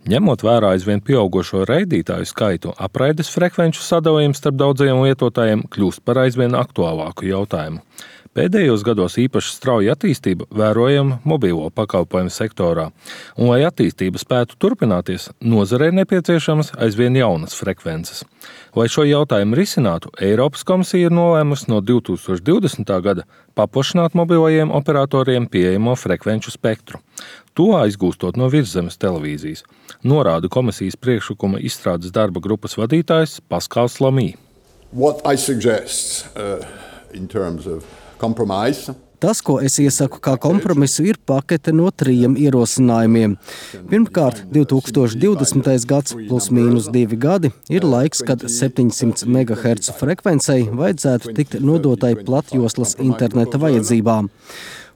Ņemot vērā aizvien pieaugušo raidītāju skaitu, apraides frekvenču sadalījums starp daudziem lietotājiem kļūst par aizvien aktuālāku jautājumu. Pēdējos gados īpaši strauja attīstība vērojama mobilo pakalpojumu sektorā, un, lai attīstība spētu turpināties, nozarei nepieciešamas aizvien jaunas frekvences. Lai šo jautājumu risinātu, Eiropas komisija ir nolēmusi no 2020. gada paplašināt mobilajiem operatoriem pieejamo frekvenču spektru. To aizgūstot no virszemes televīzijas, norāda komisijas priekšlikuma izstrādes darba grupas vadītājs Paskals Lamī. Tas, ko es iesaku kā kompromisu, ir pakete no 3 ierosinājumiem. Pirmkārt, 2020. gads plus mīnus 2 gadi ir laiks, kad 700 MHz frekvencei vajadzētu tikt nodotai platjoslas interneta vajadzībām.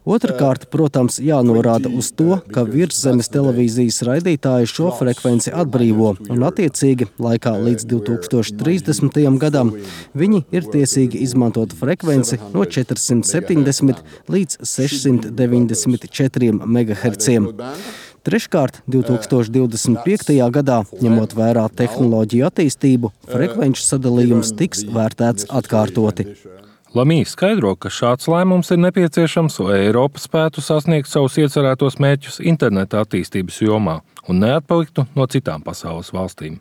Otrakārt, protams, jānorāda uz to, ka virszemes televīzijas raidītāji šo frekvenci atbrīvo un attiecīgi laikā līdz 2030. gadam viņi ir tiesīgi izmantot frekvenci no 470 līdz 694 MHz. Treškārt, 2025. gadā, ņemot vērā tehnoloģiju attīstību, frekvenču sadalījums tiks vērtēts atkārtoti. Lamī skaidro, ka šāds lēmums ir nepieciešams, lai Eiropa spētu sasniegt savus iecerētos mērķus interneta attīstības jomā un neatpaliktu no citām pasaules valstīm.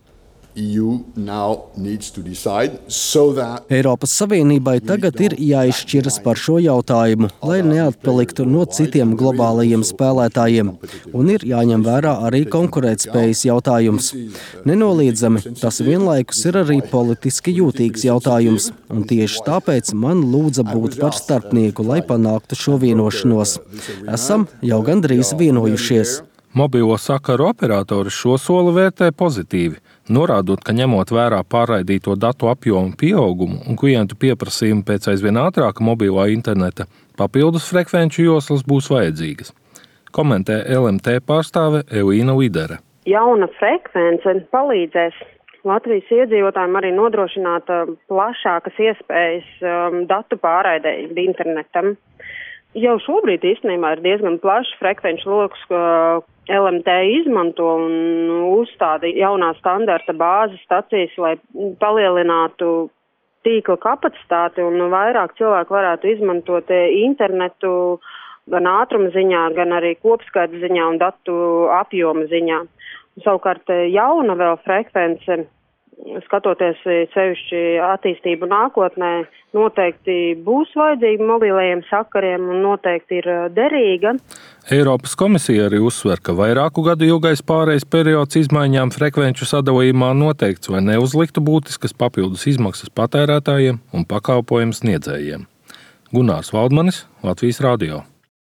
Eiropas Savienībai tagad ir jāizšķiras par šo jautājumu, lai neatpaliktu no citiem globālajiem spēlētājiem, un ir jāņem vērā arī konkurētspējas jautājums. Nenoliedzami, tas vienlaikus ir arī politiski jūtīgs jautājums, un tieši tāpēc man lūdza būt par starpnieku, lai panāktu šo vienošanos. Esam jau gandrīz vienojušies. Mobilo sakaru operatori šo soli vērtē pozitīvi, norādot, ka ņemot vērā pārraidīto datu apjomu pieaugumu un klientu pieprasījumu pēc aizvien ātrāka mobilā interneta, papildus frekvenču joslas būs vajadzīgas. Komentē LMT pārstāve Elīna Lidere. Jauna frekvence palīdzēs Latvijas iedzīvotājiem arī nodrošināt plašākas iespējas datu pārraidei internetam. Jau šobrīd īstenībā ir diezgan plašs frekvenču lokus, ko LMT izmanto un uzstāda jaunā standarta bāzes stacijas, lai palielinātu tīkla kapacitāti un vairāk cilvēku varētu izmantot internetu gan ātruma ziņā, gan arī kopskaita ziņā un datu apjoma ziņā. Savukārt jauna vēl frekvence, skatoties sevišķi attīstību nākotnē, noteikti būs vajadzīga mobilajiem sakariem un noteikti ir derīga. Eiropas komisija arī uzsver, ka vairāku gadu ilgais pārejas periods izmaiņām frekvenču sadalījumā noteikts, lai neuzliktu būtiskas papildus izmaksas patērētājiem un pakalpojumu sniedzējiem. Gunārs Valdmanis, Latvijas radio.